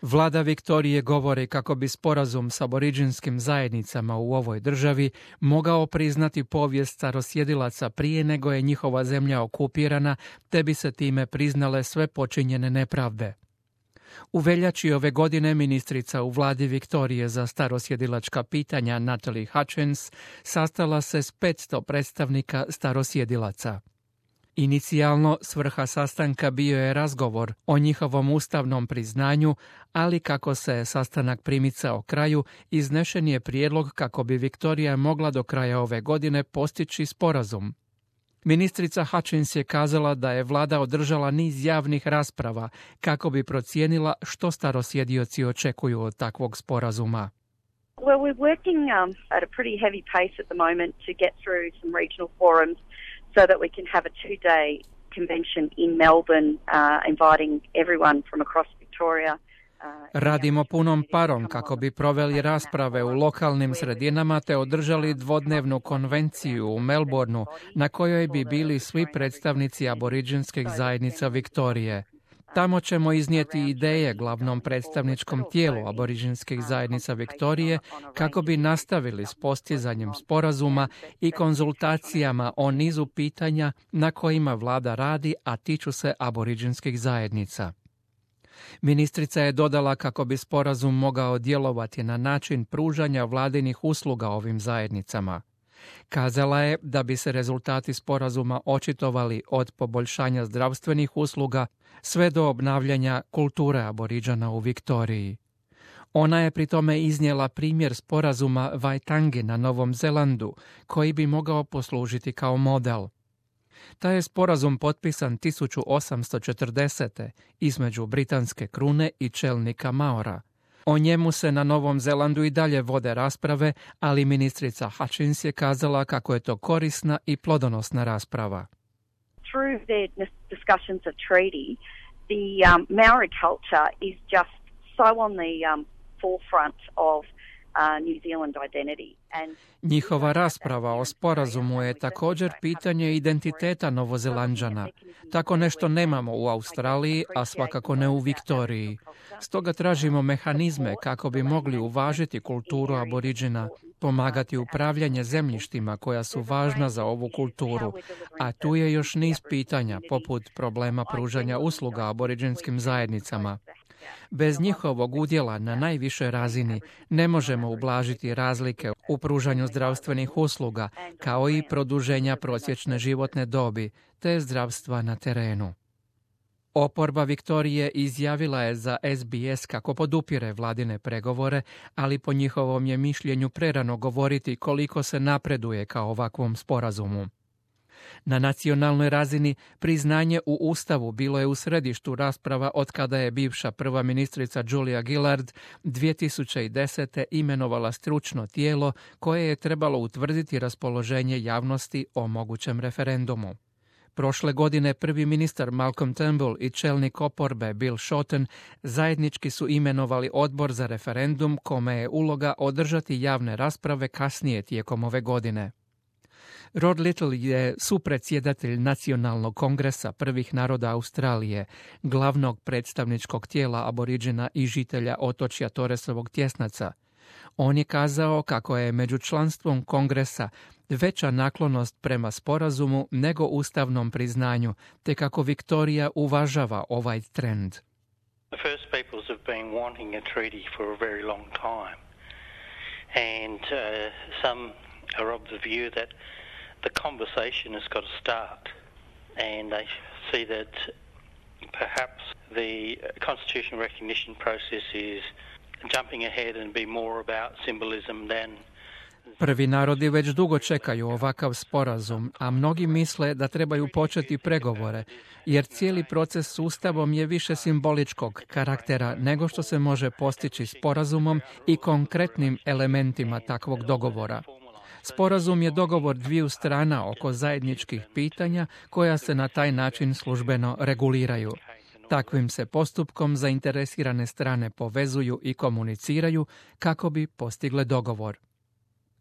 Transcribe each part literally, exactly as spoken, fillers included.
Vlada Viktorije govori kako bi sporazum s aboriđinskim zajednicama u ovoj državi mogao priznati povijest starosjedilaca prije nego je njihova zemlja okupirana, te bi se time priznale sve počinjene nepravde. U veljači ove godine ministrica u vladi Viktorije za starosjedilačka pitanja Natalie Hutchins sastala se s petsto predstavnika starosjedilaca. Inicijalno svrha sastanka bio je razgovor o njihovom ustavnom priznanju, ali kako se sastanak primicao kraju, iznešen je prijedlog kako bi Viktorija mogla do kraja ove godine postići sporazum. Ministrica Hutchins je kazala da je vlada održala niz javnih rasprava kako bi procijenila što starosjedioci očekuju od takvog sporazuma. Well, we're working um, at a pretty heavy pace at the moment to get through some regional forums so that we can have a two-day convention in Melbourne uh, inviting everyone from across Victoria. Radimo punom parom kako bi proveli rasprave u lokalnim sredinama te održali dvodnevnu konvenciju u Melbourneu na kojoj bi bili svi predstavnici aboriđinskih zajednica Viktorije. Tamo ćemo iznijeti ideje glavnom predstavničkom tijelu aboriđinskih zajednica Viktorije kako bi nastavili s postizanjem sporazuma i konzultacijama o nizu pitanja na kojima vlada radi, a tiču se aboriđinskih zajednica. Ministrica je dodala kako bi sporazum mogao djelovati na način pružanja vladinih usluga ovim zajednicama. Kazala je da bi se rezultati sporazuma očitovali od poboljšanja zdravstvenih usluga sve do obnavljanja kulture aboriđana u Viktoriji. Ona je pri tome iznijela primjer sporazuma Waitangi na Novom Zelandu, koji bi mogao poslužiti kao model. Taj je sporazum potpisan tisuću osamsto četrdesete između britanske krune i čelnika Maora. O njemu se na Novom Zelandu i dalje vode rasprave, ali ministrica Hutchins je kazala kako je to korisna i plodonosna rasprava. Through their discussions of treaty, the um, Maori culture is just so on the um, forefront of Uh, New Zealand identity. And njihova rasprava o sporazumu je također pitanje identiteta Novozelanđana. Tako nešto nemamo u Australiji, a svakako ne u Viktoriji. Stoga tražimo mehanizme kako bi mogli uvažiti kulturu aboriđina, pomagati upravljanje zemljištima koja su važna za ovu kulturu, a tu je još niz pitanja poput problema pružanja usluga aboriđinskim zajednicama. Bez njihovog udjela na najvišoj razini ne možemo ublažiti razlike u pružanju zdravstvenih usluga, kao i produženja prosječne životne dobi, te zdravstva na terenu. Oporba Viktorije izjavila je za S B S kako podupire vladine pregovore, ali po njihovom je mišljenju prerano govoriti koliko se napreduje ka ovakvom sporazumu. Na nacionalnoj razini priznanje u Ustavu bilo je u središtu rasprava od kada je bivša prva ministrica Julia Gillard dvije tisuće desete imenovala stručno tijelo koje je trebalo utvrditi raspoloženje javnosti o mogućem referendumu. Prošle godine prvi ministar Malcolm Turnbull i čelnik oporbe Bill Shorten zajednički su imenovali odbor za referendum kome je uloga održati javne rasprave kasnije tijekom ove godine. Rod Little je supredsjedatelj Nacionalnog kongresa prvih naroda Australije, glavnog predstavničkog tijela aboriđina i žitelja otočja Torresovog tjesnaca. On je kazao kako je među članstvom kongresa veća naklonost prema sporazumu nego ustavnom priznanju, te kako Viktorija uvažava ovaj trend. The First Peoples have been wanting a treaty for a very long time, and uh, some are of the view that the conversation has got to start, and they see that perhaps the constitutional recognition process is jumping ahead and be more about symbolism than. Prvi narodi već dugo čekaju ovakav sporazum, a mnogi misle da trebaju početi pregovore, jer cijeli proces s Ustavom je više simboličkog karaktera nego što se može postići sporazumom i konkretnim elementima takvog dogovora. Sporazum je dogovor dviju strana oko zajedničkih pitanja koja se na taj način službeno reguliraju. Takvim se postupkom zainteresirane strane povezuju i komuniciraju kako bi postigle dogovor.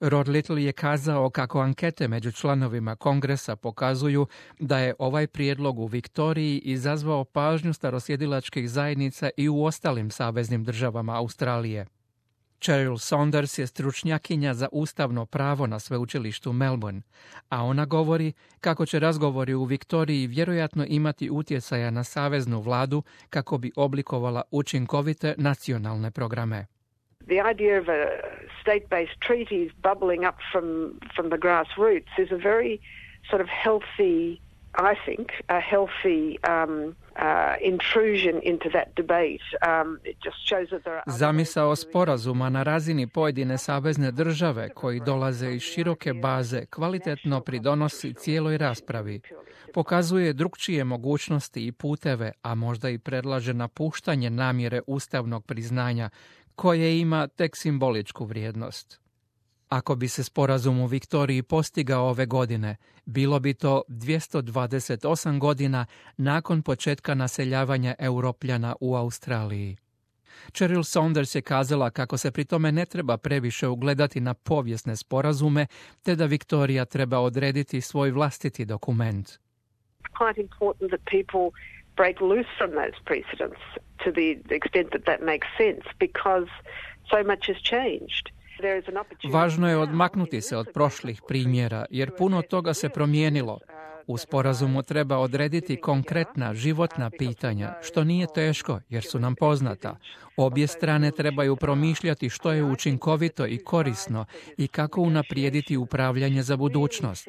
Rod Little je kazao kako ankete među članovima Kongresa pokazuju da je ovaj prijedlog u Viktoriji izazvao pažnju starosjedilačkih zajednica i u ostalim saveznim državama Australije. Cheryl Saunders je stručnjakinja za ustavno pravo na sveučilištu Melbourne, a ona govori kako će razgovori u Viktoriji vjerojatno imati utjecaja na saveznu vladu kako bi oblikovala učinkovite nacionalne programe. The idea of a state-based treaties bubbling up from, from the grassroots is a very sort of healthy, I think, a healthy um, uh, intrusion into that debate. Um, it just shows that there are... Zamisao sporazuma na razini pojedine savezne države koji dolaze iz široke baze kvalitetno pridonosi cijeloj raspravi. Pokazuje drukčije mogućnosti i puteve, a možda i predlaže napuštanje namjere ustavnog priznanja koje ima tek simboličku vrijednost. Ako bi se sporazum u Viktoriji postigao ove godine, bilo bi to dvjesto dvadeset osam godina nakon početka naseljavanja Europljana u Australiji. Cheryl Saunders je kazala kako se pri tome ne treba previše ugledati na povijesne sporazume, te da Viktorija treba odrediti svoj vlastiti dokument. Quite important that people break loose from those precedents to the extent that that makes sense, because so much has changed. Važno je odmaknuti se od prošlih primjera, jer puno toga se promijenilo. U sporazumu treba odrediti konkretna životna pitanja, što nije teško jer su nam poznata. Obje strane trebaju promišljati što je učinkovito i korisno i kako unaprijediti upravljanje za budućnost.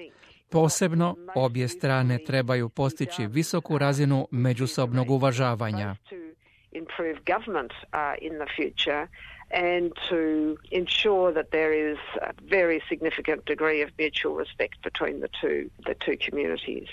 Posebno, obje strane trebaju postići visoku razinu međusobnog uvažavanja. Improve government uh, in the future and to ensure that there is a very significant degree of mutual respect between the two the two communities.